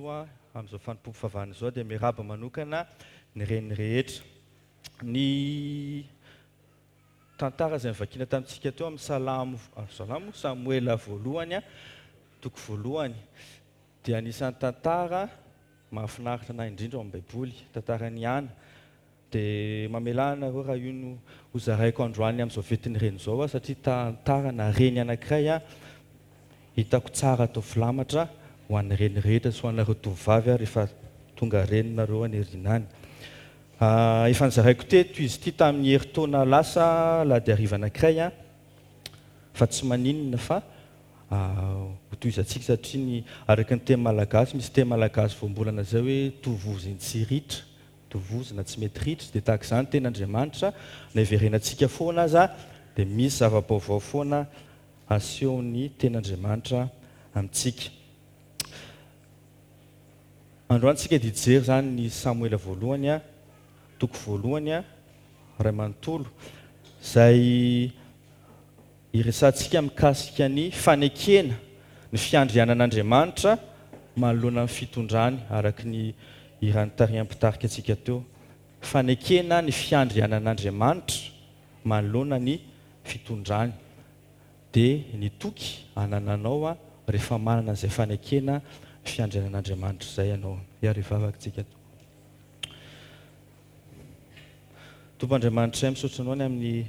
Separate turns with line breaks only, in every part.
Anio amin'izao fanompoam-pivavahana izao dia miarahaba manokana ny reny rehetra. Ny tantara izay novakiana tamintsika teo amin'ny Salamo, Salamo, Samoela voalohany, toko voalohany, dia anisan'ny tantara mahafinaritra anay indrindra ao amin'ny Baiboly, tantaran'i Ana. Dia mamelà anareo raha io no hozaraiko androany amin'izao fetin'ny reny izao aho satria tantarana reny anankiray hitako tsara atao filamatra ho an'ny reny rehetra sy ho anareo tovovavy aho rehefa tonga reny nareo any aoriana any. Efa nozaraiko teto izy ity tamin'ny herintaona lasa alahady hariva anankiray fa tsy maninona fa hotohizantsika satria ny araka ny teny malagasy misy teny malagasy voambolana izay hoe tovozin-tsy ritra tovozina tsy mety ritra, dia tahaka izany tena Andriamanitra, na hiverenantsika foana aza dia misy zava-baovao foana asehon'ny tena Andriamanitra amintsika. Androany tsika dia hijery izany ny Samoela voalohany, toko voalohany, iray manontolo, izay Hiresahantsika mikasika ny fanekena ny fiandrianan'Andriamanitra manoloana ny fitondrany, araka ny hira nitarihan'ny mpitarika antsika teo. Fanekena ny fiandrianan'Andriamanitra manoloana ny fitondrany. Dia ny toky anananao rehefa manana an'izay fanekena ny fiandrianan'Andriamanitra izay ianao. Hiara-hivavaka isika. Tompo Andriamanitray, misaotra Anao ny amin'ny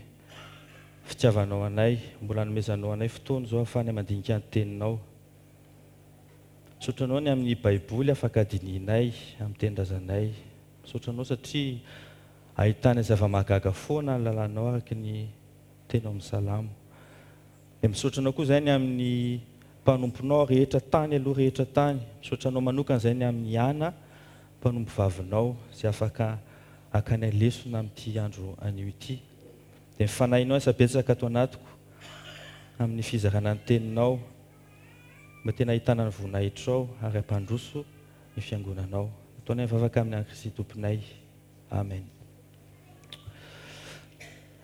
fitiavanao anay, mbola anomezanao anay fotoana izao ahafahanay mandinika ny Teninao. Misaotra Anao ny amin'ny Baiboly afaka dinihinay amin'ny tenin-drazanay. Misaotra Anao satria ahitanay zava-mahagaga foana ny lalànao araka ny teny ao amin'ny Salamo. Dia misaotra Anao koa izahay ny amin'ny mpanomponao rehetra tany aloha rehetra tany. Misaotra Anao manokana izahay ny amin'i Ana, mpanompovavinao, izay afaka hakanay lesona amin'ity andro anio ity. Dia ny Fanahinao asa betsaka ato anatiko amin'ny fizarana ny Teninao, mba tena hahitana ny voninahitrao ary hampandroso ny Fiangonanao. Ataonay vavaka amin'ny an'i Kristy Tomponay. Amen.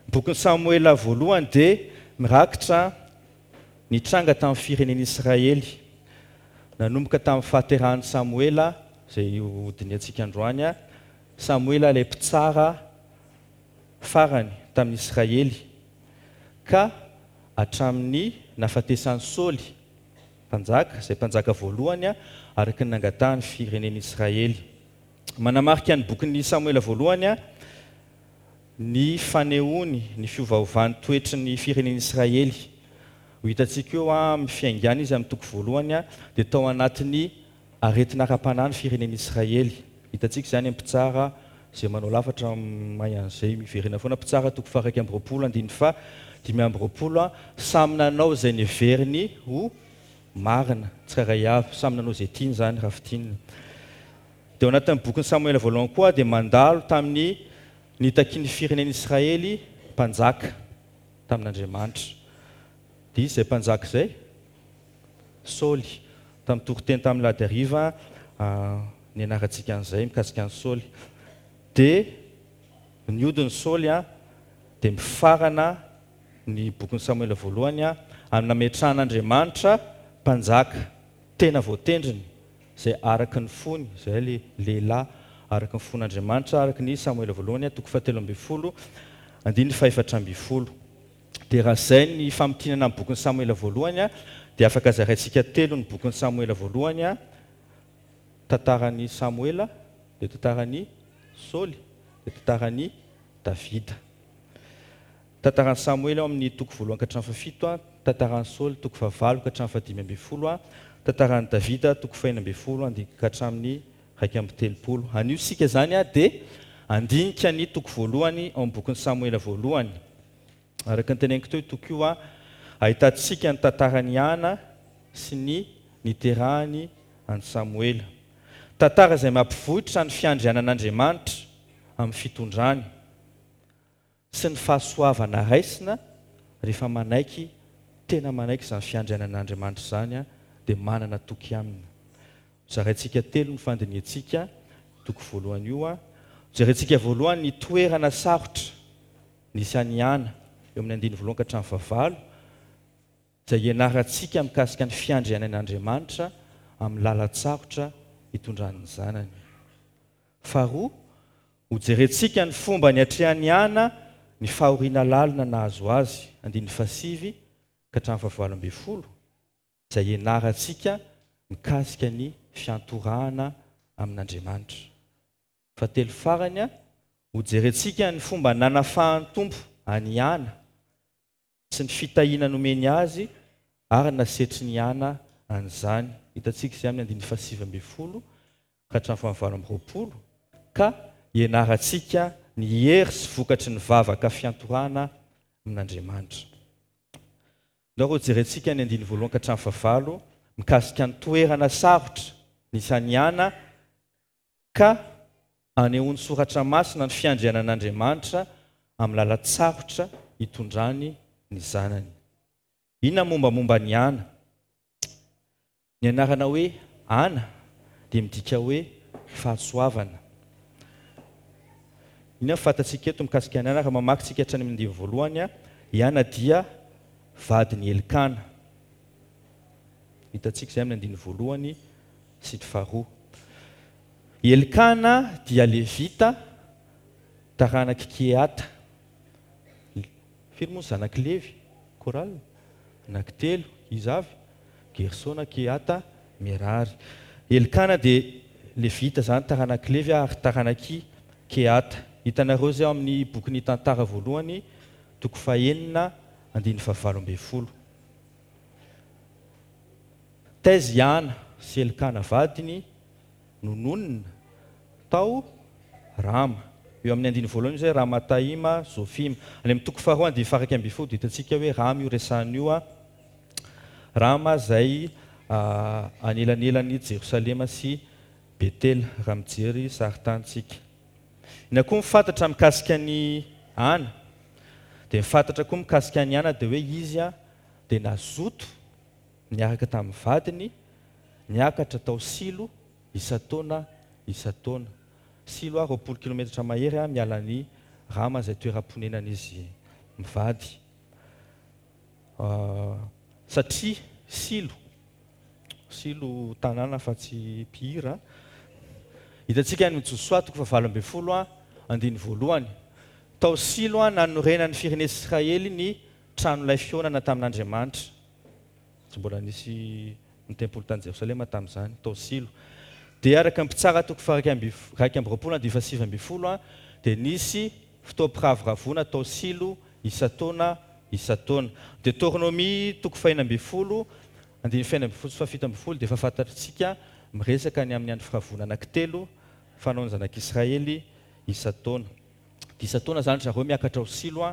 Ny bokin'i Samoela voalohany dia mirakitra ny tranga tamin'ny firenen'Israely, nanomboka tamin'ny fahaterahan'i Samoela, izay hodinihantsika androany, Samoela ilay mpitsara farany tamin'ny Israely, ka hatramin'ny nahafatesan'i Saoly, mpanjaka, izay mpanjaka voalohany araka ny nangatahan'ny firenen'Israely. Manamarika ny bokin'i Samoela voalohany ny fanehoany ny fiovaovan'ny toetry ny firenen'Israely. Ho hitantsika eo amin'ny fiaingàna izy amin'ny toko voalohany dia tao anatin'ny aretina ara-panahy ny firenen'Israely. Hitantsika izany amin'ny Mpitsara izay manao lafatra mahay an'izay miverena foana, Mpitsara toko faha-21 andininy faha-25, samy nanao izay neveriny ho marina tsirairay avy, samy nanao izay tiany izany raha fintinina. Dia ao anatin'ny bokin'i Samoela voalohany koa dia mandalo tamin'ny nitakian'ny firenen'Israely mpanjaka tamin'Andriamanitra. Dia iza izay mpanjaka izay? Saoly. Tamin'ny toriteny tamin'ny alahady hariva nianarantsika an'izay mikasika an'i Saoly. Dia nihodin'i Saoly dia mifarana ny bokin'i Samoela voalohany amin'ny nametrahan'Andriamanitra mpanjaka tena voatendriny, izay araka ny fony, izay ilay lehilahy araka ny fon'Andriamanitra, araka ny Samoela voalohany toko fahatelo ambin'ny folo andininy fahefatra ambin'ny folo. Dia raha izay ny famintinana ny bokin'i Samoela voalohany dia afaka zaraintsika telo ny bokin'i Samoela voalohany, tantaran'i Samoela, dia tantaran'i Saoly, dia tantaran'i Davida. Tantaran'i Samoela ao amin'ny toko voalohany ka hatramin'ny fahafito, tantaran'i Saoly toko fahavalo ka hatramin'ny fahadimy ambin'ny folo, tantaran'i Davida toko fahenina ambin'ny folo ka hatramin'ny 31. Anio isika izany dia handinika ny toko voalohany ao amin'ny bokin'i Samoela voalohany. Araka ny teneniko teo io toko io, ahitantsika ny tantaran'i Hana sy ny niterahany an'i Samoela. Tantara izay mampivoitra ny fiandrianan'Andriamanitra amin'ny fitondrany. Sy ny fahasoavana raisina rehefa manaiky, tena manaiky izany fiandrianan'Andriamanitra izany dia manana toky aminy. Zaraintsika telo ny fandinihantsika toko voalohany io. Jerentsika voalohany ny toerana sarotra nisy an'i Ana eo amin'ny andininy voalohany ka hatramin'ny fahavalo, izay ianarantsika mikasika ny fiandrianan'Andriamanitra amin'ny lalan-tsarotra hitondrany ny zanany. Faharoa, hojerentsika ny fomba niatrehan'i Ana ny fahoriana lalina nahazo azy, andininy fahasivy ka hatramin'ny fahavalo ambinifolo, izay ianarantsika mikasika ny fiantorahana amin'Andriamanitra. Fahatelo farany, hojerentsika ny fomba nanafahan'ny Tompo an'i Ana sy ny fitahiana nomeny azy ary nasetrin'i Ana an'izany. Hitantsika izay amin'ny andininy fahasivy ambinifolo ka hatramin'ny fahavalo amby roapolo, ka ianarantsika ny hery sy vokatry ny vavaka fiantorahana amin'Andriamanitra. Ndao hojerentsika ny andininy voalohany ka hatramin'ny fahavalo mikasika ny toerana sarotra nisy an'i Ana ka anehoan'ny Soratra Masina ny fiandrianan'Andriamanitra amin'ny lalan-tsarotra hitondrany ny zanany. Inona ny mombamomba an'i Ana? Ny anarana hoe Ana dia midika hoe fahasoavana. Inona no fantatsika eto mikasika an'i Ana? Raha mamaky isika hatrany amin'ny andininy voalohany, i Ana dia vadin'i Elkana. Hitantsika izay amin'ny andininy voalohany sy ny faharoa. I Elkana dia Levita, taranak'i Kehata. Firy moa ny zanak'i Levy? Chorale? Anankitelo. Iza avy? Gersona, Kehata, Merary. Elkana dia Levita izany, taranak'i Levy ary taranak'i Kehata. Hitanareo izay ao amin'ny bokin'ny Tantara voalohany, toko fahenina, andininy fahavalo ambinifolo. Taiza i Ana sy Elkana vadiny no nonina? Tao Rama. Eo amin'ny andininy voalohany izy hoe Ramataima Zofima. Any amin'ny toko faharoa andininy faha-iraika ambinifolo dia hitantsika hoe Rama io resahina io. Rama izay anelanelan'i Jerosalema sy Betela, raha mijery sarintany isika. Inona koa ny fantatra mikasika an'i Ana? Dia ny fantatra koa mikasika an'i Ana dia hoe izy dia nazoto niaraka tamin'ny vadiny niakatra tao Silo isan-taona isan-taona. Silo 20 kilometatra mahery miala an'i Rama izay toeram-ponenan'izy mivady. Satria Silo, Silo tanàna fa tsy mpihira. Hitantsika any Josoa toko fahavalo ambinifolo andininy voalohany. Tao Silo nanorenan'ny firenena Israely ny tranolay fihaonana tamin'Andriamanitra. Tsy mbola nisy ny tempoly tany Jerosalema tamin'izany, tao Silo. Dia araka ny Mpitsara toko faha-21 andininy faha-19 dia nisy fotoam-piravoravoana tao Silo isan-taona isan-taona. Deoteronomia toko faha-16 andininy faha-16 sy faha-17 dia efa fantatritsika miresaka ny amin'ny andro firavoana anankitelo fanaon'ny zanak'Israely isan-taona. Dia isan-taona izany ry zareo miakatra ao Silo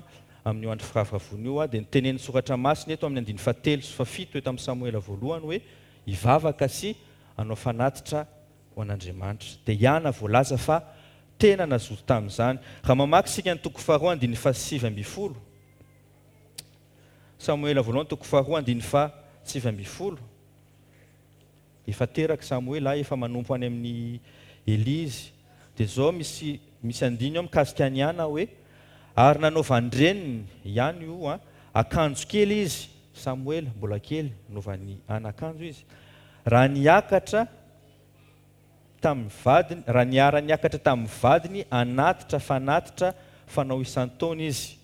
amin'io andro firavoravoana io. Dia notenenin'ny Soratra Masina eto amin'ny andininy fahatelo sy fahafito eto amin'ny Samoela voalohany hoe hivavaka sy hanao fanatitra ho an'Andriamanitra. Dia i Ana voalaza fa tena nazoto tamin'izany. Raha mamaky isika ny toko faharoa andininy fahasivy ambinifolo, Samoela voalohany toko faharoa andininy fahasivy ambinifolo, Efa teraka Samoela, efa manompo any amin'i Elia izy. Dia izao misy misy andininy ao mikasika an'i Ana hoe, Ary nanaovan-dreniny, ihany io an, akanjo kely izy, Samoela, mbola kely, nanaovan'i Ana akanjo izy, raha niakatra tamin'ny vadiny, raha niara-niakatra tamin'ny vadiny hanatitra fanatitra fanao isan-taona izy.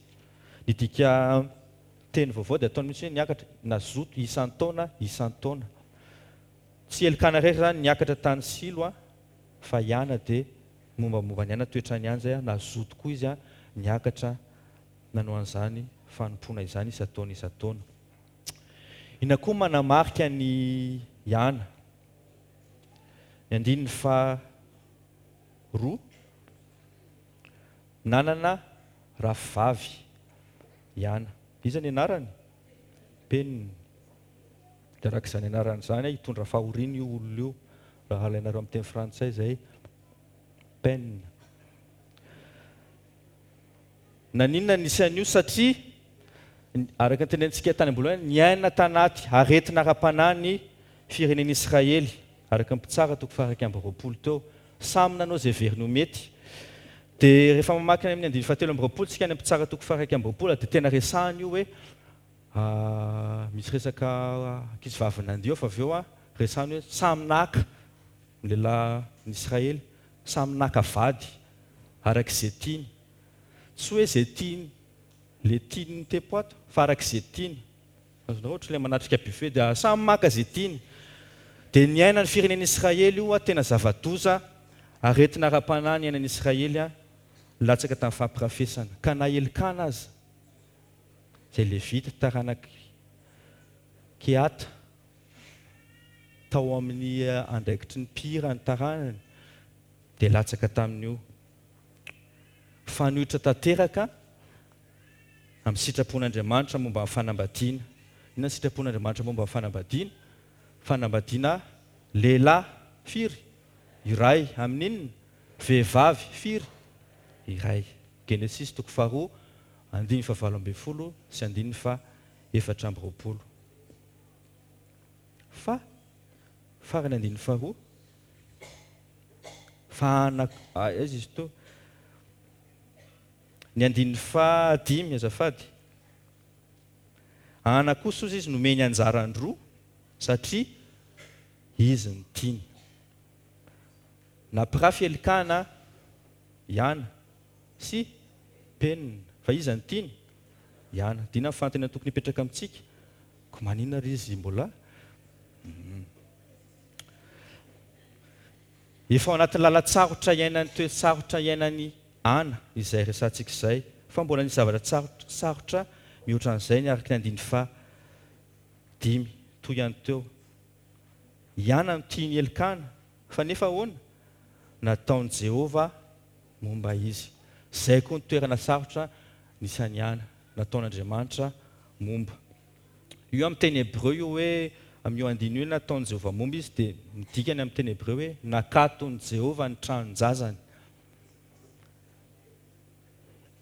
Ny dika teny vaovao dia ataony mihitsy hoe niakatra, nazoto isan-taona, isan-taona. Tsy Elkana irery izany niakatra tany Silo fa i Ana dia mombamomba an'i Ana, toetrany ihany izay, nazoto koa izy niakatra nanao an'izany fanompoana izany isan-taona isan-taona. Inona koa manamarika an'i Ana? Ny andininy faha roa, nanana rafivavy i Ana. Iza ny anarany? Penina. Dia araka izany anarany izany, hitondra fahoriana io olona io, raha alainareo amin'ny teny frantsay izay, peine. Naninona nisy an'io? Satria, araka ny tenenintsika tany am-boalohany, niaina tanaty aretina ara-panahy ny firenen'Israely, araka ny Mpitsara toko faha-21 teo. Samy nanao izay heveriny ho mety. Dia rehefa mamaky any amin'ny andininy fahatelo amby roapolo isika any amin'ny Mpitsara toko faha-21 dia tena resahiny io hoe misy resaka ankizivavy nandihy ao fa avy eo resahiny hoe samy naka. Ny lehilahin'ny Israely samy naka vady araka izay tiany. Tsy hoe izay tiany le tiany ny tepo ato fa araka izay tiany. Azonareo ohatry ilay manatrika buffet dia samy maka izay tiany. Dia niainan'ny firenena Israely io tena zava-doza, aretina ara-panahy niainan'ny Israely latsaka tamin'ny fampirafesana. Ka na Elkana aza, izay Levita taranak'i Kehata, tao amin'ny andraikitry ny mpihira ny taranany dia latsaka tamin'io. Mifanohitra tanteraka amin'ny sitrapon'Andriamanitra momba ny fanambadiana. Inona ny sitrapon'Andriamanitra momba ny fanambadiana? Fanambadiana lehilahy firy? Iray. Amin'inona? Vehivavy firy? Iray. Genesisy toko faharoa andininy fahavalo ambin'ny folo sy andininy faha 24. Fa, farany andininy faharoa, fa ana, aiza izy teo? Ny andininy fahadimy, azafady. Ana kosa ozy izy nomeny anjaran-droa satria izy no tiany. Nampirafy Elkana i Ana sy Penina. Fa iza no tiany? I Ana. Dina ny fanontaniana tokony hipetraka amintsika. Ko maninona ry izy mbola hum. Efa ao anatin'ny lalan-tsarotra iainan'ny toe-tsarotra iainan'i Ana izay resahantsika izay, fa mbola nisy zavatra tsarotra sarotra mihoatra an'izay ny araka ny andininy faha dimy toy ihany teo. I Ana no tian'i Elkana, fa nefa ahoana? Nataon'i Jehovah momba izy. Izay koa ny toerana sarotra nisy an'i Ana. Nataon'Andriamanitra momba. Io amin'ny teny hebreo io hoe, amin'io andininy io hoe nataon'i Jehovah momba izy dia ny dikany amin'ny teny hebreo hoe nakaton'i Jehovah ny tranon-jazany.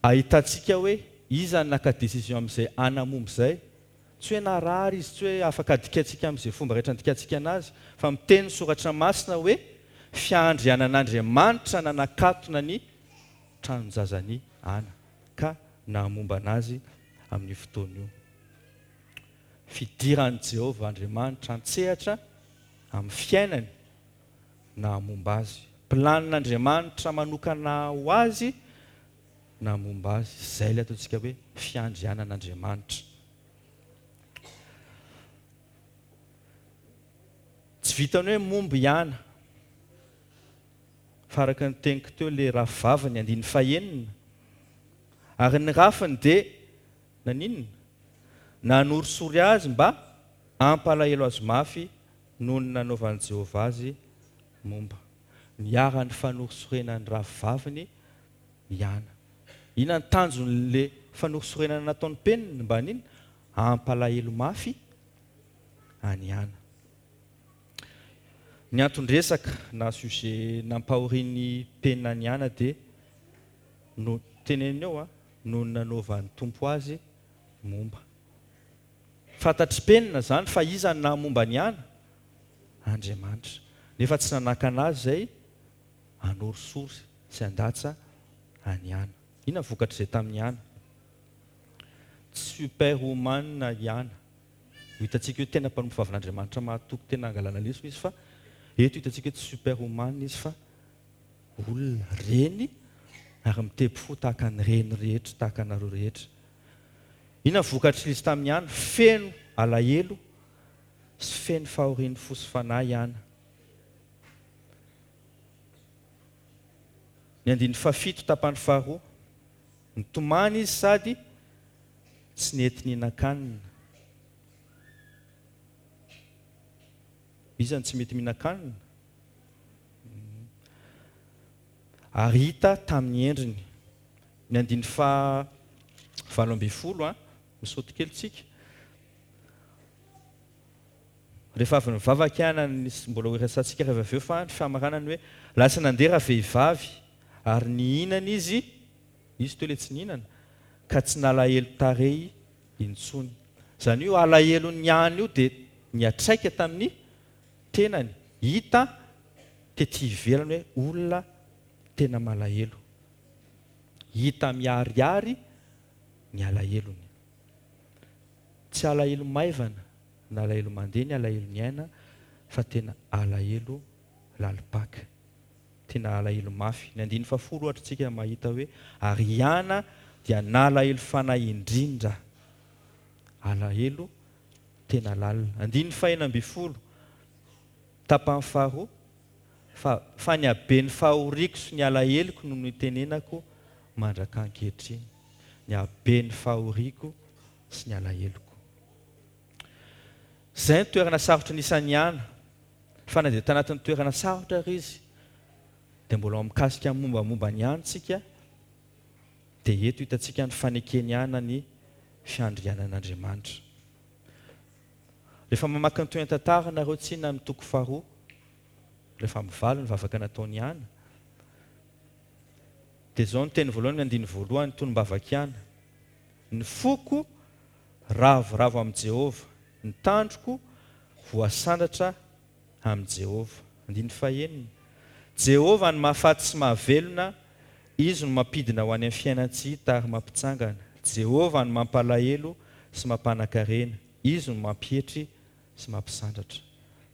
Ahitantsika hoe iza no naka décision amin'izay Ana momba izay. Tsy hoe narary izy, tsy hoe afaka adikaintsika amin'izay fomba rehetra andikantsika anazy, fa miteny ny Soratra Masina hoe fiandrianan'Andriamanitra nanakatona ny tranon-jazan'i Ana. ka nahamombana azy amin'io fotoana io. Fidiran'i Jehovah Andriamanitra an-tsehatra amin'ny fiainany nahamomba azy. Planin'Andriamanitra manokana ho azy nahamomba azy. Izay ilay ataontsika hoe fiandrianan'Andriamanitra. Tsy vitan'ny hoe momba i Ana. Fa araka ny teniko teo le rafivaviny, andininy fahenina, ary ny rafiny dia naninona? Nanorisory azy mba hampalahelo azy mafy noho ny nanaovan'i Jehovah azy momba. Niharan'ny fanorisorenan'ny rafivaviny i Ana. Inona ny tanjon'le fanorisorenana nataon'i Penina? Mba haninona? Hampalahelo mafy an'i Ana. Ny anton-dresaka na sujet nampahorian'i Penina an'i Ana dia no teneniny eo noho ny nanaovan'ny Tompo azy momba. Fantatr'i Penina izany fa iza no nahamomba an'i Ana? Andriamanitra. Nefa tsy nanakana azy izay hanorisory sy handatsa an'i Ana. Inona ny vokatr'izay tamin'i Ana? Tsy super woman i Ana. Ho hitantsika hoe tena mpanompo vavin'Andriamanitra mahatoky tena hangalana lesona izy fa eto hitantsika hoe tsy super woman izy fa olona, reny ary mitepy fo tahaka ny reny rehetra, tahaka anareo rehetra. Inona ny vokatr'ilay izy tamin'i Ana? Feno alahelo sy feno fahorian'ny fo sy fanahy Ana. Ny andininy fahafito tapany faharoa. Nitomany izy sady tsy nety nihinan-kanina. Iza no tsy mety mihinan-kanina? Ary hita tamin'ny endriny. Ny andininy faha 18, misaoty kely tsika. Rehefa avy nivavaka i Ana, mbola ho resahantsika rehefa avy eo fa ny famaranany hoe lasa nandeha ravehivavy ary nihinana izy, izy teo ilay tsy nihinana, ka tsy nalahelo tarehy intsony. Izany hoe io alahelon'i Ana io dia niatraika tamin'ny tenany, hita tety ivelany hoe olona tena malahelo. Hita miharihary ny alahelony. Tsy alahelo maivana na alahelo mandeha ny alahelo niaina fa tena alahelo. lalim-paka. Tena alahelo mafy. Ny andininy fahafolo ohatra tsika mahita hoe ary i Ana dia nalahelo fanahy indrindra. Alahelo tena lalina. Andininy fahenina ambinifolo, tapany faharoa, fa fa ny haben'ny fahoriako sy ny alaheloko no nitenenako mandraka ankehitriny. Ny haben'ny fahoriako sy ny alaheloko. Izay ny toerana sarotra nisan'i Ana. Fa na dia tanatin'ny toerana sarotra ary izy, dia mbola ao mikasika ny mombamomba an'i Ana isika, dia eto hitantsika ny faneken'i Ana ny fiandrianan'Andriamanitra. Rehefa mamaky ny tohin'ny tantara nareo tsinona amin'ny toko faharoa, rehefa mivaly ny vavaka nataon'i Ana, dia izao ny teny voalohany amin'ny andininy voalohany, tonom-bavak'i Ana, Ny foko ravoravo amin'i Jehovah, ny tandroko voasandratra amin'i Jehovah. Andininy fahenina, Jehovah no mahafaty sy mahavelona, Izy no mampidina ho any amin'ny fiainan-tsy hita ary mampitsangana. Jehovah no mampalahelo sy mampanan-karena, Izy no mampietry sy mampisandratra.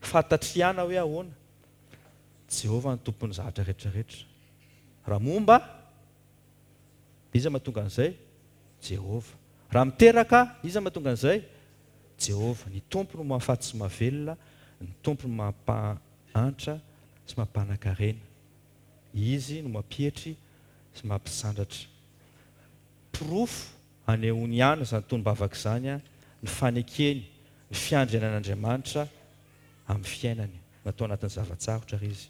Fantatr'i Ana hoe ahoana? Jehovah no tompon'ny zavatra rehetrarehetra. Raha momba, iza mahatonga an'izay? Jehovah. Raha miteraka, iza mahatonga an'izay? Jehovah. Ny Tompo no mahafaty sy mahavelona, ny Tompo no mampahantra sy mampanan-karena. Izy no mampietry sy mampisandratra. Porofo anehoany ihany izany tonom-bavaka izany ny fanekeny ny fiandrianan'Andriamanitra amin'ny fiainany. Natao anatin'ny zava-tsarotra ary izy.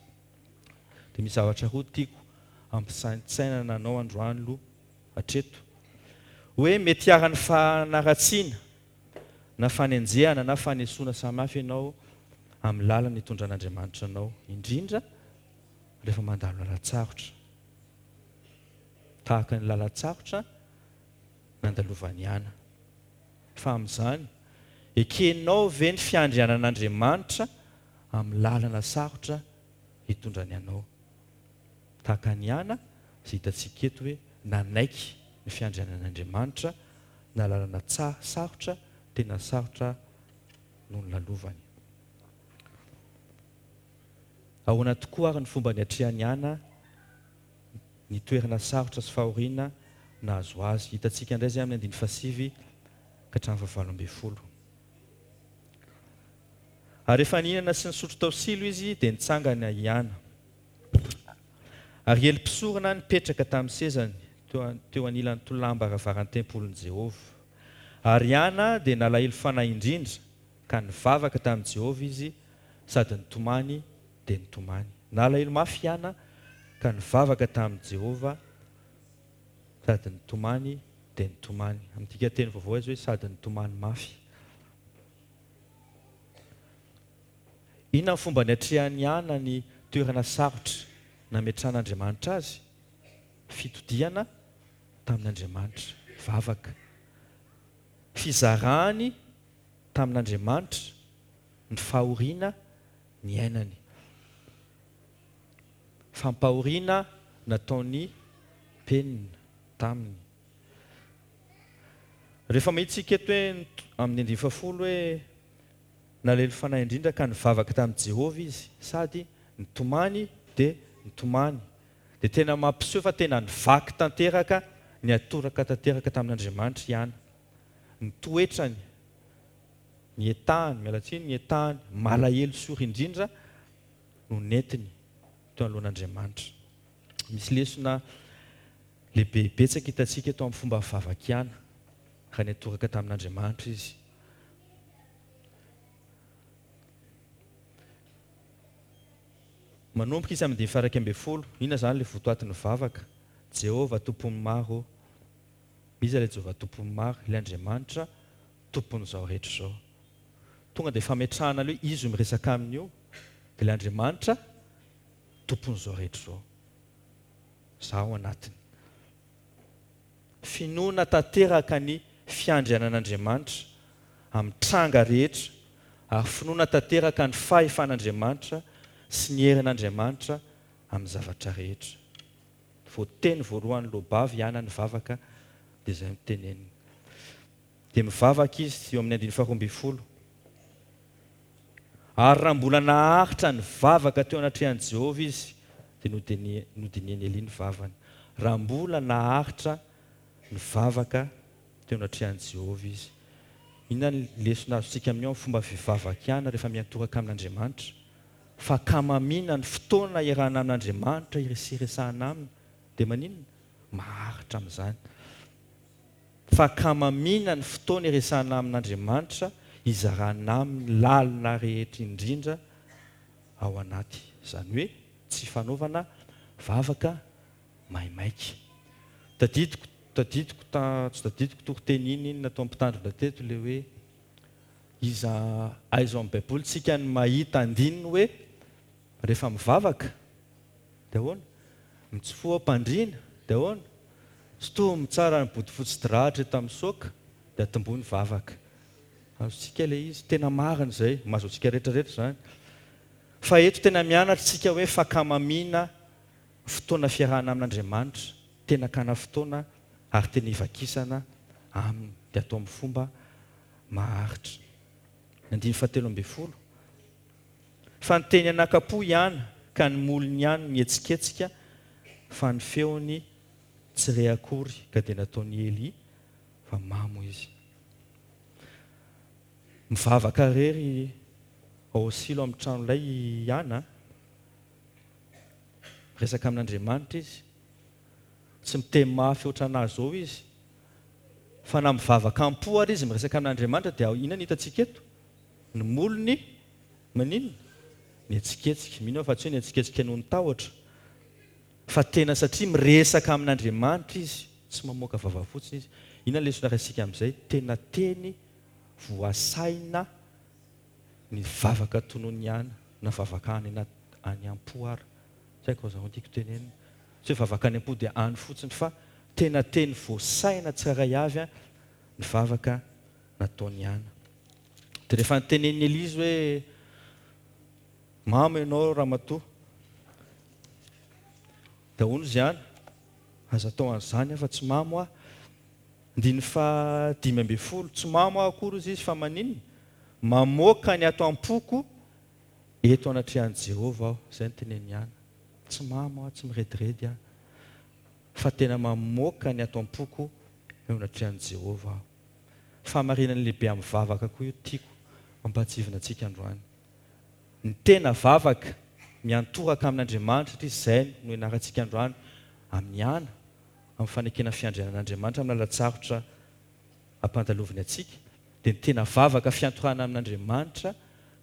Dia misy zavatra roa tiako hampisaintsainana anao androany aloha hatreto. Hoe mety hiharan'ny fanaratsiana na fanenjehana na fanesoana samihafa ianao amin'ny lalana itondran'Andriamanitra anao, indrindra rehefa mandalo lalan-tsarotra. Tahaka ny lalan-tsarotra nandalovan'i Ana. Fa amin'izany, ekenao ve ny fiandrianan'Andriamanitra amin'ny lalana sarotra hitondrany anao? Tahaka an'i Ana, izay hitantsika eto hoe nanaiky ny fiandrianan'Andriamanitra na lalana sarotra, tena sarotra no nolalovany. Ahoana tokoa ary ny fomba niatrehan'i Ana ny toerana sarotra sy fahoriana nahazo azy? Hitantsika indray izay amin'ny andininy fahasivy ka hatramin'ny fahavalo ambinifolo. Ary rehefa nihinana sy nisotro tao Silo izy, dia nitsangana i Ana. Ary Ely mpisorona nipetraka tamin'ny sezany teo anilan'ny tolàm-baravaran'ny tempolin'i Jehovah. Ary Ana dia nalahelo fanahy indrindra, ka nivavaka tamin'i Jehovah izy sady nitomany dia nitomany. Nalahelo mafy i Ana ka nivavaka tamin'i Jehovah sady nitomany dia nitomany. Amin'ny dikanteny vaovao izy hoe sady nitomany mafy. Inona ny fomba niatrehan'i Ana ny toerana sarotra nametrahan'Andriamanitra azy? Fitodihana tamin'Andriamanitra, vavaka. Fizarany tamin'Andriamanitra ny fahoriana niainany. Fampahoriana nataon'i Penina taminy. Rehefa mahita isika eto hoe amin'ny andininy fahafolo hoe nalahelo fanahy indrindra ka nivavaka tamin'i Jehovah izy sady nitomany dia nitomany dia tena mampiseho fa tena nivaky tanteraka, niatoraka tanteraka tamin'Andriamanitra i Ana. Ny toetrany, ny etahany, miala tsiny, ny etahany malahelo sy ory indrindra no nentiny teo anoloan'Andriamanitra. Misy lesona lehibe betsaka hitantsika eto amin'ny fomba fivavak'i Ana, raha niantoraka tamin'Andriamanitra izy. Manomboka izy amin'ny andininy faha-11. Inona izany ilay votoatin'ny vavaka? Jehovah Tompon'ny maro ô. Iza ilay Jehovah Tompon'ny maro? Ilay Andriamanitra Tompon'izao rehetra izao. Tonga dia fametrahana aloha hoe izy io miresaka aminy io dia ilay Andriamanitra Tompon'izao rehetra izao. Izaho ao anatiny. Finoana tanteraka ny fiandrianan'Andriamanitra amin'ny tranga rehetra ary finoana tanteraka ny fahefan'Andriamanitra sy ny herin'Andriamanitra amin'ny zavatra rehetra. Vao teny voalohany loabavy ihany nivavaka dia izay no teneniny. Dia mivavaka izy eo amin'ny andininy faharoa ambinifolo. Ary raha mbola naharitra nivavaka teo anatrehan'i Jehovah izy, dia nodinihan'i Elia ny vavany. Raha mbola naharitra nivavaka teo anatrehan'i Jehovah izy. Inona ny lesona azontsika amin'io amin'ny fomba fivavakana rehefa miantoraka amin'Andriamanitra? Fankamamiana ny fotoana iarahana amin'Andriamanitra iresaresahana aminy, dia maninona? Maharitra amin'izany. Fankamamiana ny fotoana iresahana amin'Andriamanitra, izarana aminy lalina rehetra indrindra ao anaty. Izany hoe tsy fanaovana vavaka maimaika. Tadidiko, tadidiko ta, tsy tadidiko toriteny iny iny nataon'ny mpitandrina teto ilay hoe iza, aiza ao amin'ny baiboly tsika no mahita andininy hoe rehefa mivavaka dia ahoana? Mitsofoha am-pandriana dia ahoana? Sintomy tsara ny bodofotsy drahatra eto amin'ny saoka dia atombohy ny vavaka. Azontsika ilay izy, tena marina izay, mahazo antsika rehetra rehetra izany. Fa eto tena mianatra isika hoe fankamamiana fotoana fiarahana amin'Andriamanitra, tena hakana fotoana ary tena hivakisana Aminy, dia atao amin'ny fomba maharitra. Ny andininy fahatelo ambin'ny folo, Fa niteny anakam-po i Ana, ka ny molony ihany no nihetsiketsika, fa ny feony tsy re akory, ka dia nataon'i Elia fa mamo izy. Mivavaka irery ao Silo amin'ny tranolay i Ana. Miresaka amin'Andriamanitra izy. Tsy miteny mafy ohatran'ahy izao izy. Fa na mivavaka am-po ary izy miresaka amin'Andriamanitra dia inona no hitantsika eto? Ny molony maninona? Mihetsiketsika. Mino aho fa tsy hoe nihetsiketsika noho ny tahotra. Fa tena satria miresaka amin'Andriamanitra izy. Tsy mamoaka vava fotsiny izy. Inona ny lesona raisintsika amin'izay? Tena teny voasaina ny vavaka tonony ihany na vavaka any anaty any am-po ara. Tsy haiko aza tiako tenenina. Tsy hoe vavaka any am-po dia any fotsiny fa tena teny voasaina tsirairay avy ny vavaka nataony ihany. Dia rehefa notenenin'i Elia izy hoe mamo ianao ramatoa. Dia hono izy ihany, aza atao an'izany aho fa tsy mamo aho. Andininy faha 15, tsy mamo aho akory hozy izy fa maninona? Mamoaka ny ato am-poko eto anatrehan'i Jehovah aho. Izay no teneniny ihany. Tsy mamo aho, tsy mirediredy aho, fa tena mamoaka ny ato am-poko eo anatrehan'i Jehovah aho. Fahamarinana lehibe amin'ny vavaka koa io tiako hampahatsiahivina antsika androany. Ny tena vavaka miantoraka amin'Andriamanitra satria izay no ianarantsika androany amin'ny ana, amin'ny fanekena fiandrianan'Andriamanitra amin'ny lalan-tsarotra ampandaloviny antsika, dia ny tena vavaka fiantorahana amin'Andriamanitra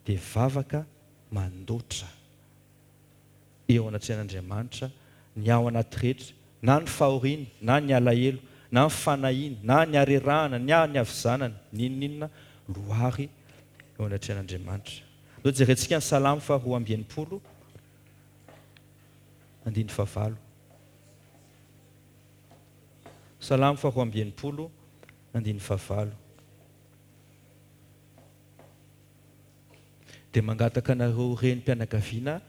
dia vavaka mandoatra eo anatrehan'Andriamanitra ny ao anaty rehetra, na ny fahoriana, na ny alahelo, na ny fanahiana, na ny harerahana, na ny havizanana, n'inon'inona loary eo anatrehan'Andriamanitra. Andao jerentsika ny Salamo faha 62 andininy fahavalo. Salamo faha 62 andininy fahavalo. Dia mangataka anareo renim-pianakaviana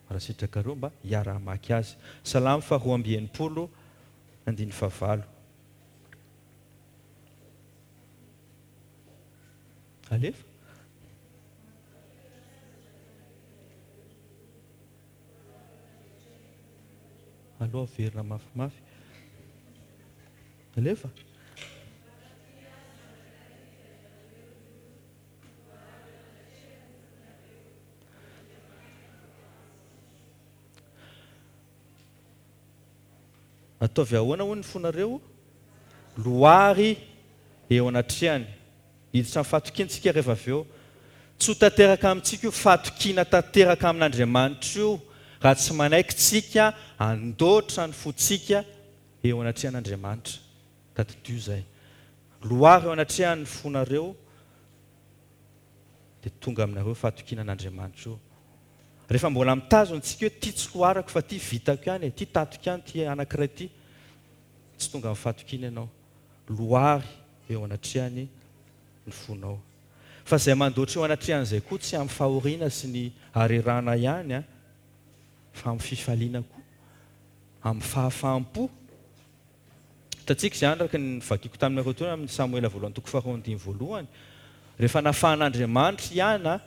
raha sitrakareo mba hiara-hamaky azy. Salamo faha 62 andininy fahavalo. Alefa. Aleo averina mafimafy. Alefa. Ataovy ahoana hoy ny fonareo? Loary eo anatrehany. Hiditra amin'ny fahatokiana isika rehefa avy eo. Tsy ho tanteraka amintsika io fahatokiana tanteraka amin'Andriamanitra io raha tsy manaiky tsika handoatra ny fontsika eo anatrehan'Andriamanitra. Tadidio izay. Loary eo anatrehany ny fonareo dia tonga aminareo fahatokiana an'Andriamanitra io. Rehefa mbola mitazona tsika hoe ty tsy loarako fa ty vitako ihany e, ty tatiko ihany ty anankiray ty, tsy tonga amin'ny fahatokiana ianao. Loary eo anatrehany ny fonao. Fa izay mandoatra eo anatrehan'izay koa tsy amin'ny fahoriana sy ny harerahana ihany an, fa amin'ny fifaliana koa, amin'ny fahafaham-po. Hitantsika izany araka ny novakiako taminareo teo amin'ny Samoela voalohany toko faharoa andininy voalohany. Rehefa nafahan'Andriamanitra i Ana.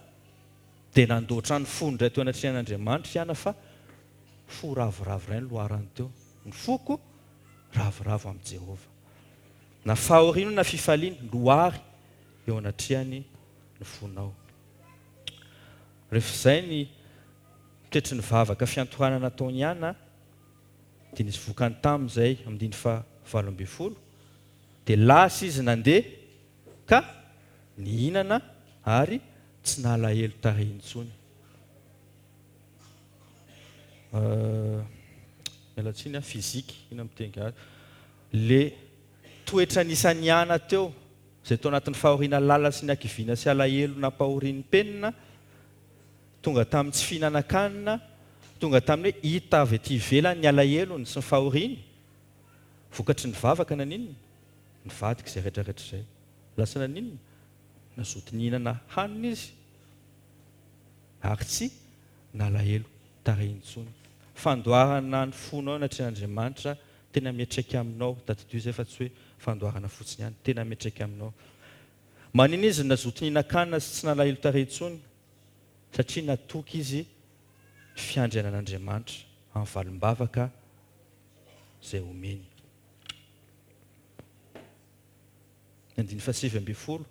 Dia nandoatra ny fony indray teo anatrehan'Andriamanitra i Ana fa fo ravoravo iray no loharany teo. Ny foko ravoravo amin'i Jehovah. Na fahoriana na fifaliana, lohary eo anatrehany ny fonao. Rehefa izay ny toetry ny vavaka fiantorana nataon'i Ana, dia nisy vokany taminy izay, andininy faha 18, dia lasa izy nandeha ka nihinana ary tsy nalahelo tarehy intsony. Miala tsiny an, physique, inona no miteny gasy, le toetra nisan'i Ana teo, izay tao anatin'ny fahoriana lalina sy ny hakiviana sy alahelo nampahorian'ny penina, tonga tamin'ny tsy fihinanan-kanina, tonga tamin'ny hoe hita avy aty ivelany ny alahelony sy ny fahoriany, vokatry ny vavaka naninona? Nivadika izay rehetra rehetra izay. Lasa naninona? Nazoto nihinana hanina izy ary tsy nalahelo tarehy intsony. Fandoarana ny fonao eo anatrehan'Andriamanitra tena miantraika aminao, tadidio izay fa tsy hoe fandoarana fotsiny ihany, tena miantraika aminao. Manina izy no nazoto nihinan-kanina sy tsy nalahelo tarehy intsony? Satria natoky izy ny fiandrianan'Andriamanitra amin'ny valim-bavaka izay omeny. Ny andininy fahasivy ambinifolo,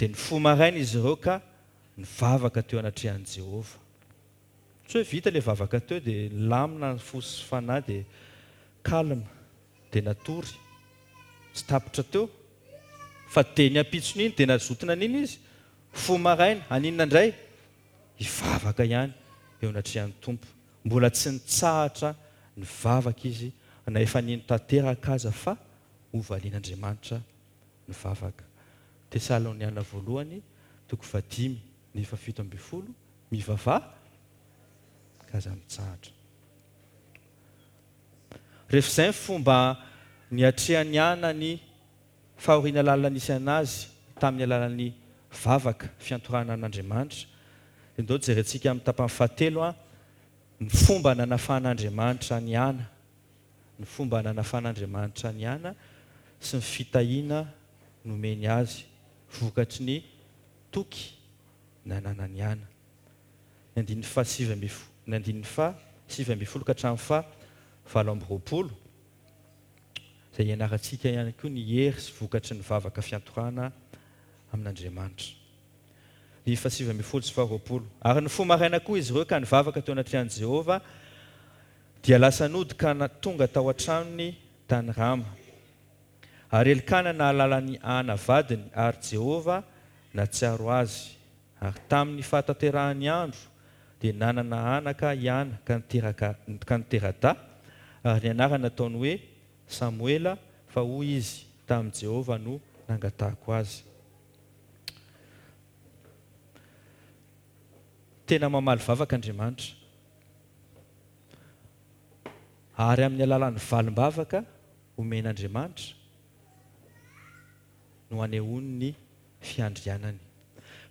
Dia nifoha maraina izy ireo ka nivavaka teo anatrehan'i Jehovah. Tsy hoe vita ilay vavaka teo dia nilamina ny fo sy fanahy dia calme dia natory. Tsy tapitra teo fa dia ny ampitson'iny dia nazoto nanina izy? Foha maraina, haninona indray? Hivavaka ihany eo anatrehan'ny Tompo. Mbola tsy nitsahatra nivavaka izy na efa nino tanteraka aza fa hovalian'Andriamanitra ny vavaka. Tesaloniana voalohany toko fahadimy ny faha 17, Mivavaha ka aza mitsahatra. Rehefa izay ny fomba niatrehan'i Ana ny fahoriana lalina nisy an'azy tamin'ny alalan'ny vavaka fiantorahana an'Andriamanitra, dia ndao jerentsika amin'ny tapany fahatelo ny fomba nanafahan'Andriamanitra an'i Ana, ny fomba nanafahan'Andriamanitra an'i Ana sy ny fitahiana nomeny azy vokatry ny toky nananan'i Ana. Ny andininy faha 19, ny andininy faha 19 ka hatramin'ny faha 28, izay ianarantsika ihany koa ny hery sy vokatry ny vavaka fiantorahana amin'Andriamanitra. Andininy faha 19 sy faha 20. Ary nifoha maraina koa izy ireo ka nivavaka teo anatrehan'i Jehovah, dia lasa nody ka tonga tao an-tranony tany Rama. Ary Elkana nahalala an'i Ana vadiny, ary Jehovah nahatsiaro azy. Ary tamin'ny fahatanterahan'ny andro, dia nanana anaka i Ana ka niteraka ka nitera-dahy, ary ny anarany nataony hoe Samoela, fa hoy izy, Tamin'i Jehovah no nangatahako azy. Tena mamaly vavaka Andriamanitra. Ary amin'ny alalan'ny valim-bavaka omen'Andriamanitra no anehoany ny fiandrianany.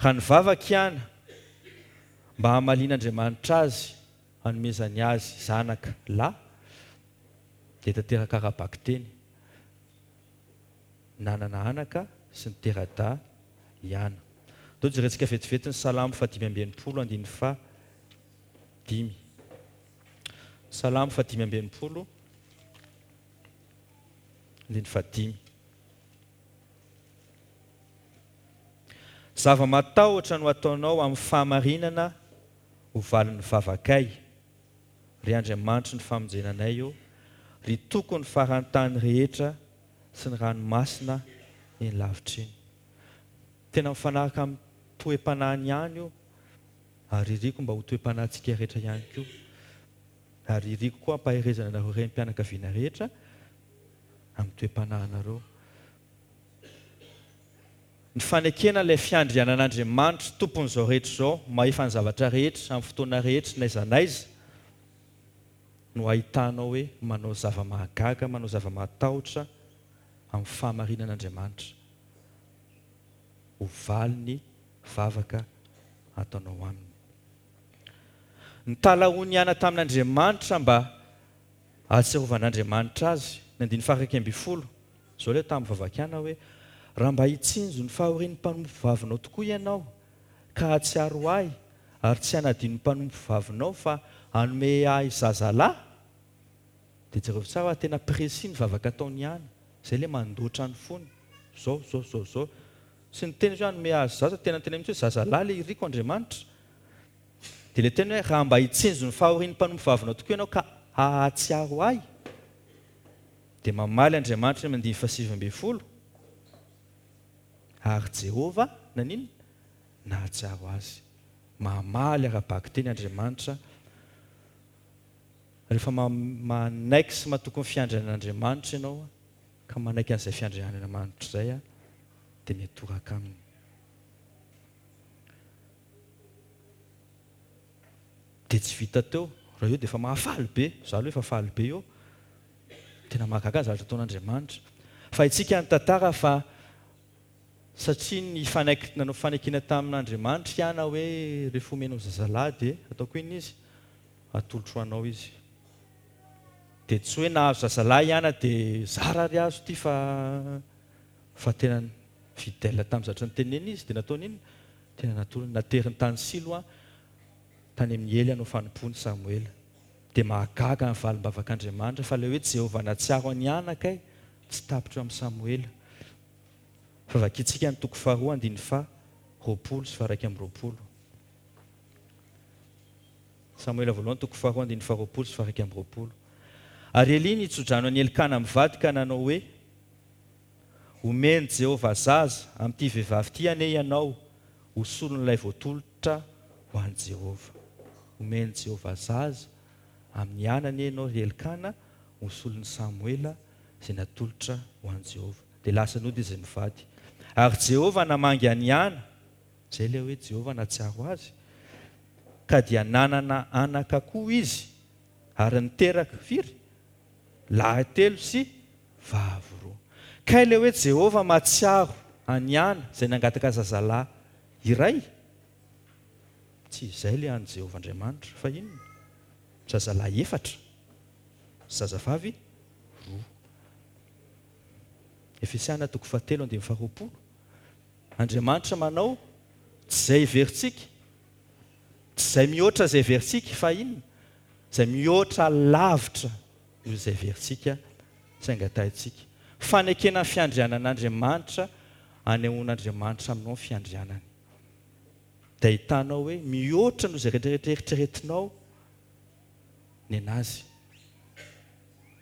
Raha nivavaka i Ana mba hamalian'Andriamanitra azy hanomezany azy zanaka lahy, dia tanteraka ara-bakiteny. Nanana anaka sy nitera-dahy i Ana. Ndao jerentsika vetivety ny Salamo fahadimy amby 60 andininy faha dimy. Salamo faha 65, andininy fahadimy. Zava-mahatahotra no ataonao amin'ny fahamarinana ho valin'ny vavakay, ry Andriamanitry ny famonjena anay ô, ry Tokon'ny faran-tany rehetra sy ny ranomasina eny lavitra eny. Tena mifanaraka amin'ny toe-panahiny ihany io. Ary iriko mba ho toe-panahintsika rehetra ihany koa. Ary iriko koa hampaherezana anareo renim-pianakaviana rehetra amin'ny toe-panahinareo. Ny fanekena ilay fiandrianan'Andriamanitra, Tompon'izao rehetra izao, mahefa ny zavatra rehetra, amin'ny fotoana rehetra, n'aiza n'aiza, no ahitanao hoe manao zava-mahagaga, manao zava-mahatahotra amin'ny fahamarinan'Andriamanitra. Ho valiny vavaka ataonao aminy. Nitalahoan'i Ana tamin'Andriamanitra mba hahatsiarovan'Andriamanitra azy. Ny andininy faha-11, izao ilay tamin'ny vavak'i Ana hoe, Raha mba hitsinjo ny fahorian'ny mpanompovavinao tokoa Ianao, ka hahatsiaro ahy ary tsy hanadino ny mpanompovavinao fa hanome ahy zazalahy? Dia jereo tsara fa tena précis ny vavaka ataony ihany. Izay ilay mandoatra ny fony. Zao, zao, zao, zao. Tsy niteny izy hoe hanome azy zaza, tena niteny mihitsy hoe zazalahy ilay iriko Andriamanitra. Dia ilay teny hoe raha mba hitsinjo ny fahorian'ny mpanompovavinao tokoa ianao ka hahatsiaro ahy. Dia mamaly Andriamanitra eny amin'ny andininy fahasivy ambin'ny folo, Ary Jehovah naninona? Nahatsiaro azy. Mamaly ara-bakiteny Andriamanitra rehefa manaiky sy matoky ny fiandrianan'Andriamanitra ianao ka manaiky an'izay fiandrianan'Andriamanitra izay dia mitoraka aminy. Dia tsy vita teo, raha eo dia efa mahafaly be, za aloha efa faly be eo, tena mahagaga ny zavatra ataon'Andriamanitra. Fa haintsika ny tantara fa satria nifanaiky, nanao fanekena tamin'Andriamanitra i Ana hoe rehefa omenao zazalahy dia ataoko inona izy? Atolotro ho anao izy. Dia tsy hoe nahazo zazalahy i Ana dia zara ary azo ity fa fa tena fidèle tamin'ny zavatra noteneniny izy dia nataony inona? Tena natolony, nateriny tany Silo tany amin'i Ely hanao fanompoana i Samoela. Dia mahagaga ny valim-bavak'Andriamanitra fa ilay hoe Jehovah nahatsiaro an'i Hana kay tsy tapitra eo amin'i Samoela. Fa vakintsika ny toko faharoa andininy faha 20 sy faha 21. Samoela voalohany toko faharoa andininy faha 20 sy faha 21. Ary Elia nitsodrano an'i Elkana mivady ka nanao hoe, Omen'i Jehovah zaza amin'ity vehivavy ity anie ianao ho solon'ilay voatolotra ho an'i Jehovah. Omen'i Jehovah zaza amin'i Hana anie ianao, ry Elkana, ho solon'i Samoela izay natolotra ho an'i Jehovah. Dia lasa nody izy mivady. Ary Jehovah namangy an'i Hana, izay ilay hoe Jehovah nahatsiaro azy, ka dia nanana anaka koa izy, ary niteraka, firy? Lahy telo sy vavy roa. Kay ilay hoe Jehovah mahatsiaro an'i Ana izay nangataka zazalahy iray? Tsy izay ilay an'i Jehovah Andriamanitra, fa inona? Zazalahy efatra, zazavavy roa. Efesiana toko fahatelo andininy faharoapolo. Andriamanitra manao tsy izay heverintsika, tsy izay mihoatra izay heverintsika, fa inona? Izay mihoatra lavitra noho izay heverintsika sy angatahintsika. Fanekena ny fiandrianan'Andriamanitra, anehoan'Andriamanitra aminao ny fiandrianany. Dia ahitanao hoe mihoatra noho izay rehetra eritreretinao nenazy.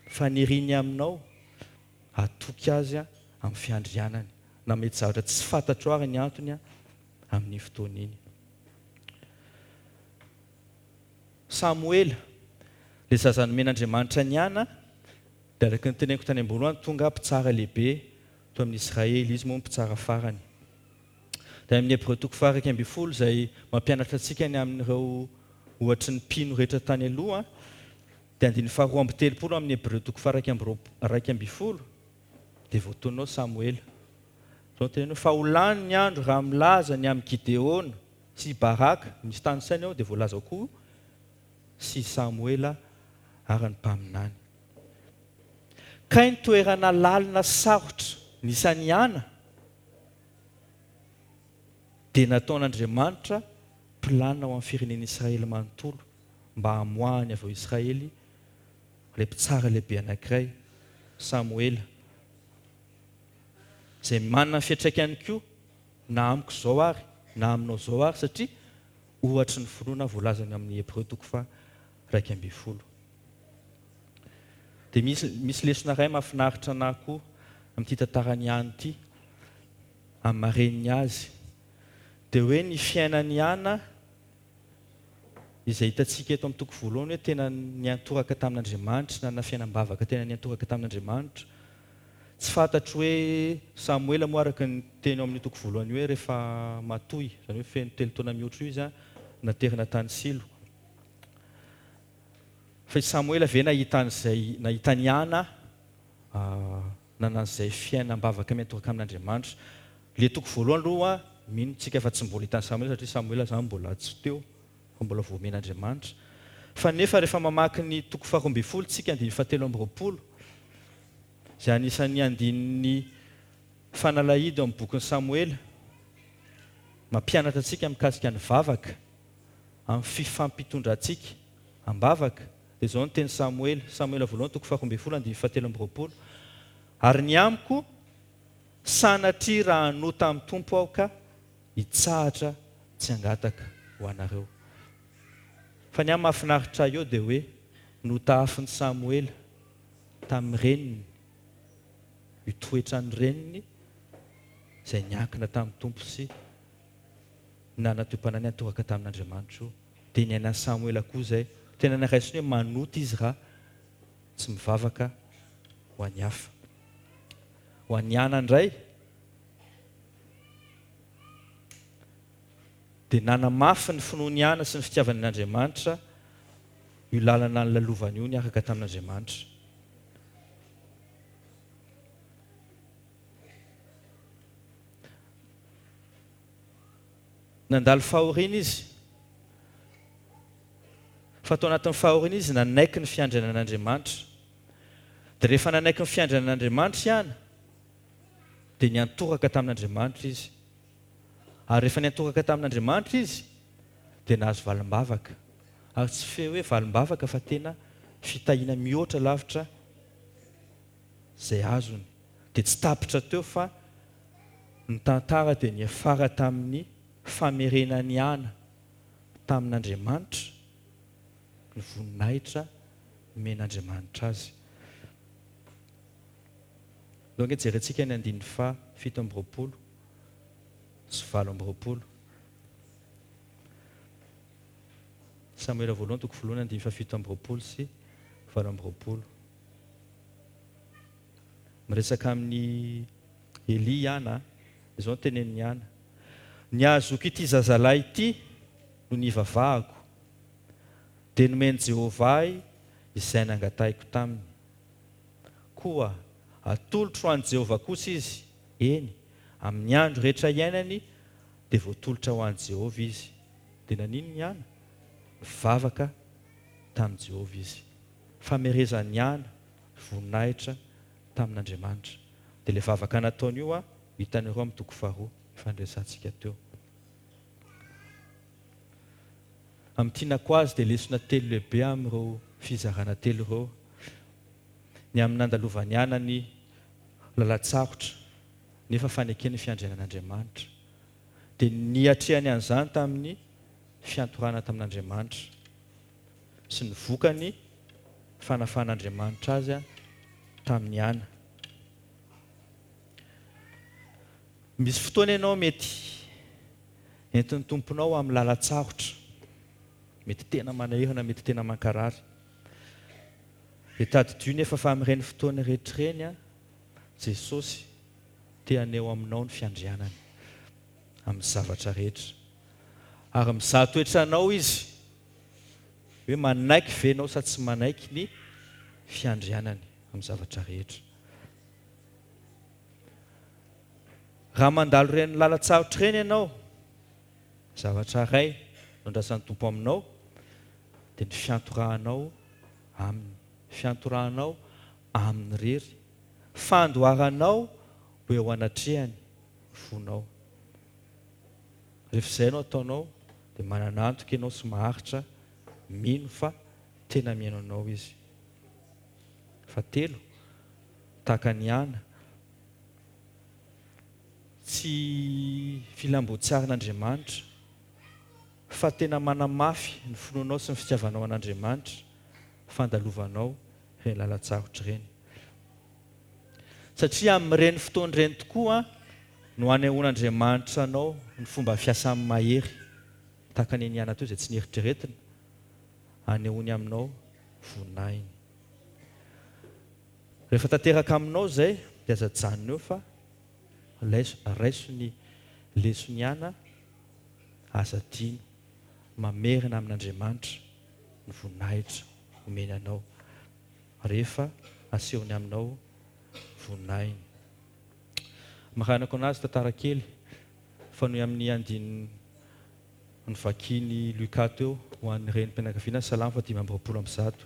Faniriany aminao hatoky Azy amin'ny fiandrianany, na mety zavatra tsy fantatrao ary ny antony amin'iny fotoana iny. Samoela, ilay zaza nomen'Andriamanitra an'i Hana, dia araka ny teneniko tany am-boalohany, tonga mpitsara lehibe teo amin'ny Israely, izy moa no mpitsara farany. Dia amin'ny Hebreo toko faha-11 izay mampianatra antsika ny amin'ireo ohatry ny mpino rehetra tany aloha, dia andininy faha-32 amin'ny Hebreo toko faha-11 dia voatonona ao Samoela. Izao no teneniny hoe, Fa ho lany ny andro raha milaza ny amin'i Gideona sy i Baraka, misy tanisaina eo, dia voalaza ao koa sy i Samoela ary ny mpaminany. Kay ny toerana lalina sy sarotra nisy an'i Hana dia nataon'Andriamanitra planina ho an'ny firenen'Israely manontolo mba hamoahany avy ao Israely ilay mpitsara lehibe anankiray, Samoela, izay manana ny fiantraikany koa na amiko izao ary na aminao izao ary satria ohatry ny finoana voalazany amin'ny Hebreo toko faha 11. Dia misy misy lesona iray mahafinaritra anah koa amin'ity tantaran'i Ana ity, amin'ny maha reniny azy. Dia hoe ny fiainan'i Ana izay hitantsika eto amin'ny toko voalohany hoe tena niantoraka tamin'Andriamanitra, nanana fiainam-bavaka tena niantoraka tamin'Andriamanitra. Tsy fantatro hoe Samoela moa araka ny teny ao amin'io toko voalohany io hoe rehefa matoy, izany hoe feno telo taona mihoatra io izy, naterina tany Silo. Fa i Samoela ve nahita an'izay, nahita an'i Hana nanana an'izay fiainam-bavaka miantoraka amin'Andriamanitra? Ilay toko voalohany aloha, mino tsika fa tsy mbola hitan'i Samoela satria Samoela izany mbola tsy teo fa mbola voamen'Andriamanitra. Fa nefa rehefa mamaky ny toko faharoa ambin'ny folo tsika andininy fahatelo amby roapolo, izay anisan'ny andininy fanalahidy ao amin'ny bokin'i Samoela. Mampianatra antsika mikasika ny vavaka amin'ny fifampitondrantsika am-bavaka. Dia izao no teny Samoela, Samoela voalohany toko faharoa ambin'ny folo andininy fahatelo amby roapolo, Ary ny amiko, sanatria raha hanota amin'ny Tompo aho ka hitsahatra tsy hangataka ho anareo. Fa ny ahy mahafinaritra ahy eo dia hoe notahafin'i Samoela tamin'ny reniny io toetran'ny reniny izay niankina tamin'ny Tompo sy nanatoem-panahy niantoraka tamin'Andriamanitra io. Dia niainan'i Samoela koa izay. Tena niraisiny hoe manota izy raha tsy mivavaka ho an'ny hafa. Ho an'i Ana indray dia nanamafy ny finoan'i Ana sy ny fitiavany an'Andriamanitra io lalana nolalovany io niaraka tamin'Andriamanitra. Nandalo fahoriana izy, fa tao anatin'ny fahoriana izy nanaiky ny fiandrianan'Andriamanitra. Dia rehefa nanaiky ny fiandrianan'Andriamanitra i Ana, dia niantoraka tamin'Andriamanitra izy. Ary rehefa niantoraka tamin'Andriamanitra izy, dia nahazo valim-bavaka. Ary tsy fe hoe valim-bavaka fa tena fitahiana mihoatra lavitra izay azony. Dia tsy tapitra teo fa ny tantara dia niafara tamin'ny famerenan'i Ana tamin'Andriamanitra ny voninahitra nomen'Andriamanitra azy. Ndao ange jerentsika ny andininy faha 27 sy 28. Samoela voalohany toko voalohany andininy faha 27 sy 28. Miresaka amin'i Elia i Ana, izao no tenenin'i Ana, Ny hahazoako ity zazalahy ity no nivavahako, dia nomen'i Jehovah ahy izay nangatahiko taminy. Koa atolotro ho an'i Jehovah kosa izy, eny, amin'ny andro rehetra iainany dia voatolotra ho an'i Jehovah izy. Dia naninona i Ana? Nivavaka tamin'i Jehovah izy. Famerezan'i Ana voninahitra tamin'Andriamanitra. Dia ilay vavaka nataony io hitanareo amin'ny toko faharoa efa niresahantsika teo. Amin'ny tianako azy dia lesona telo lehibe amin'ireo fizarana telo ireo. Ny amin'ny nandalovan'i Ana ny lalan-tsarotra nefa fanekeny ny fiandrianan'Andriamanitra. Dia niatrehany an'izany tamin'ny fiantorana tamin'Andriamanitra sy ny vokany fanafahan'Andriamanitra azy tamin'i Ana. Misy fotoana ianao mety entin'ny Tomponao amin'ny lalan-tsarotra, mety tena manahirana, mety tena mankarary. Dia tadidio nefa fa amin'ireny fotoana rehetra ireny, Jesosy te haneho aminao ny fiandrianany amin'ny zavatra rehetra. Ary mizaha toetra anao Izy hoe manaiky ve ianao sa tsy manaiky ny fiandrianany amin'ny zavatra rehetra. Raha mandalo ireny lalan-tsarotra ireny ianao, zavatra iray no andrasan'ny Tompo aminao dia ny fiantorahanao Aminy, fiantorahanao Aminy irery, fandoaranao ho eo anatrehany ny fonao. Rehefa izay no ataonao dia manana antoka ianao sy maharitra mino fa tena mihaino anao Izy. Fahatelo, tahaka an'i Ana, tsy filam-boatsarin'Andriamanitra fa tena manamafy ny finoanao sy ny fitiavanao an'Andriamanitra fandalovanao ireny lalan-tsarotra ireny. Satria amin'ireny fotoana ireny tokoa no anehoan'Andriamanitra anao ny fomba fiasany mahery, tahaka ny niana teo izay tsy nieritreretina, anehoany aminao voninahiny. Rehefa tanteraka aminao izay dia aza ajanona eo fa raiso ny leson'i Ana, aza adino mamerina amin'Andriamanitra ny voninahitra omeny anao rehefa asehony aminao voninahiny. Maranako anazy tantara kely fanohy amin'ny andininy novakian'i Luca teo ho an'ny renim-pianakaviana Salamo faha 125.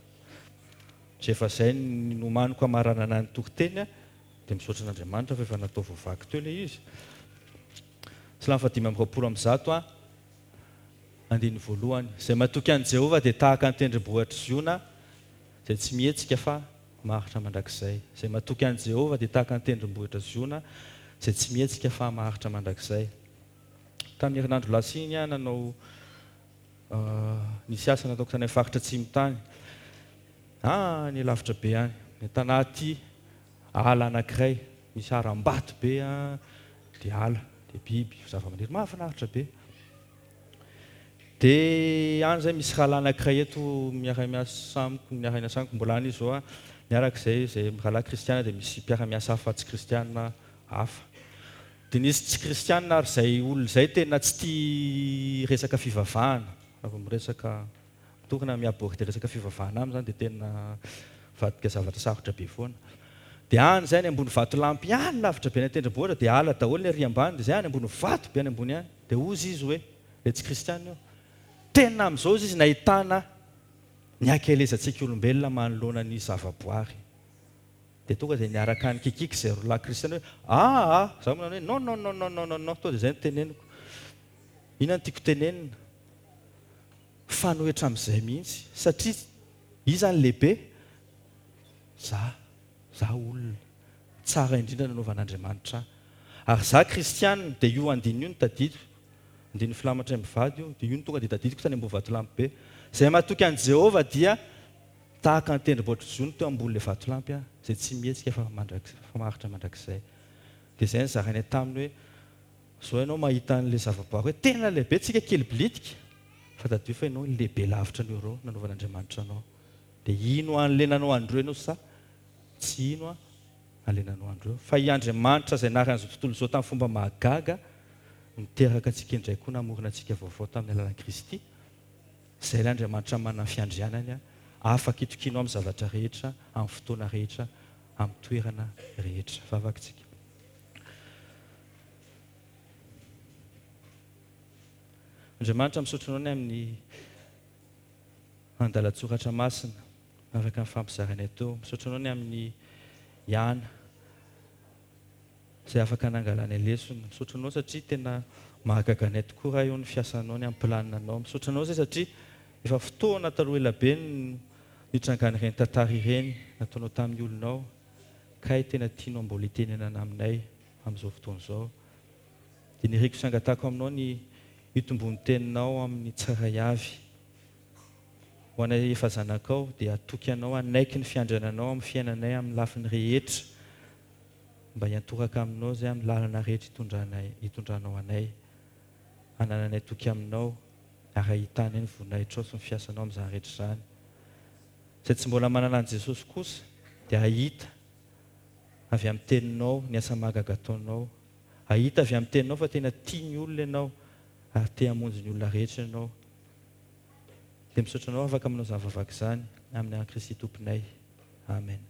Izay efa izay ny nomaniko hamaranana ny toriteny dia misaotra an'Andriamanitra fa efa natao voavaky teo ilay izy. Salamo fahadimy amby 120 a, andininy voalohany. Izay matoky an'i Jehovah dia tahaka ny tendrombohitr'i Ziona, izay tsy mihetsika fa maharitra mandrakizay. Izay matoky an'i Jehovah dia tahaka ny tendrombohitra Ziona, izay tsy mihetsika fa maharitra mandrakizay. Tamin'ny herinandro lasa iny aho nanao nisy asa nataoko tany amin'ny faritra atsimo tany. Any lavitra be any. Tanaty ala anankiray, misy harambato be dia ala, dia biby, zavamaniry. Mahafinaritra be. Dia any izay misy rahalahy anankiray eto miara-miasa amiko, miara-miasa amiko, mbola any izy izao an, miaraka izay, izay rahalahy kristiana dia misy mpiara-miasa hafa tsy kristiana hafa. Dia nisy tsy kristiana ary izay olona izay tena tsy tia resaka fivavahana, raha vao miresaka, mitory na mi-aborder resaka fivavahana aminy izany dia tena mivadika zavatra sarotra be foana. Dia any izay any ambony vatolampy any lavitra be any an-tendrombohitra dia ala daholo ny ery ambany dia izay any ambony vato be any ambony any. Dia hozy izy hoe, ilay tsy kristiana io, tena amin'izao hozy izy nahitana ny hakelezantsika olombelona manoloana ny zavaboary. Dia tonga dia niaraka nikikiky izay roa lahy kristiana hoe, aa! Izaho moa nanao hoe, non non non non non non non, tonga dia izay no teneniko. Inona no tiako tenenina? Mifanohitra amin'izay mihitsy, satria iza no lehibe? Za. Za olona. Tsara indrindra nanaovan'Andriamanitra ahy. Ary za kristiana, dia io andininy io no tadidiko. Andininy filamatra mivady io, dia io no tonga dia tadidiko tany ambony vatolampy be. Izay matoky an'i Jehovah dia tahaka ny tendrombohitr'i Ziona teo ambonin'ilay vatolampy, izay tsy mihetsika fa fa maharitra mandrakizay. Dia izay no zarainay taminy hoe, Izao ianao mahita an'ilay zavaboary hoe tena lehibe, tsika kely bilitika, fa tadidio fa ianao lehibe lavitra noho ireo nanaovan'Andriamanitra anao. Dia hino an'ilay nanao an'ireo ianao sa tsy hino an'ilay nanao an'ireo? Fa i Andriamanitra izay nary an'izao tontolo izao tamin'ny fomba mahagaga, niteraka antsika indray koa namorona antsika vaovao tamin'ny alalan'i Kristy, izay ilay Andriamanitra manana ny fiandrianany, afaka itokianao amin'ny zavatra rehetra, amin'ny fotoana rehetra, amin'ny toerana rehetra. Vavaka isika. Andriamanitra, misaotra Anao ny amin'ny andalan-tsoratra masina araka ny fampizaranay teo. Misaotra Anao ny amin'ny Yana izay afaka nangalanay lesona. Misaotra Anao satria tena mahagaga anay tokoa Ray o ny fiasanao, ny amin'ny planinanao. Misaotra Anao izay satria efa fotoana taloha elabe no nitrangan'ireny tantara ireny nataonao tamin'ny olonao kay tena tianao mbola hitenenana aminay amin'izao fotoana izao. Dia niriko sy angatahako aminao ny hitomboan'ny teninao amin'ny tsirairay avy. Ho anay efa zanakao, dia hatoky anao hanaiky ny fiandriananao amin'ny fiainanay amin'ny lafiny rehetra, mba hiantoraka aminao izay amin'ny lalana rehetra itondranay, itondranao anay. Hanananay toky aminao, ary hahitanay ny voninahitrao sy ny fiasanao amin'izany rehetra izany. Izay tsy mbola manana an'i Jesosy kosa, dia hahita avy amin'ny teninao ny asa mahagaga ataonao. Hahita avy amin'ny teninao fa tena tia ny olona ianao, ary te hamonjy ny olona rehetra ianao. Dia misaotra anao afaka manao izany vavaka izany amin'ny anaran'i Kristy Tomponay. Amen.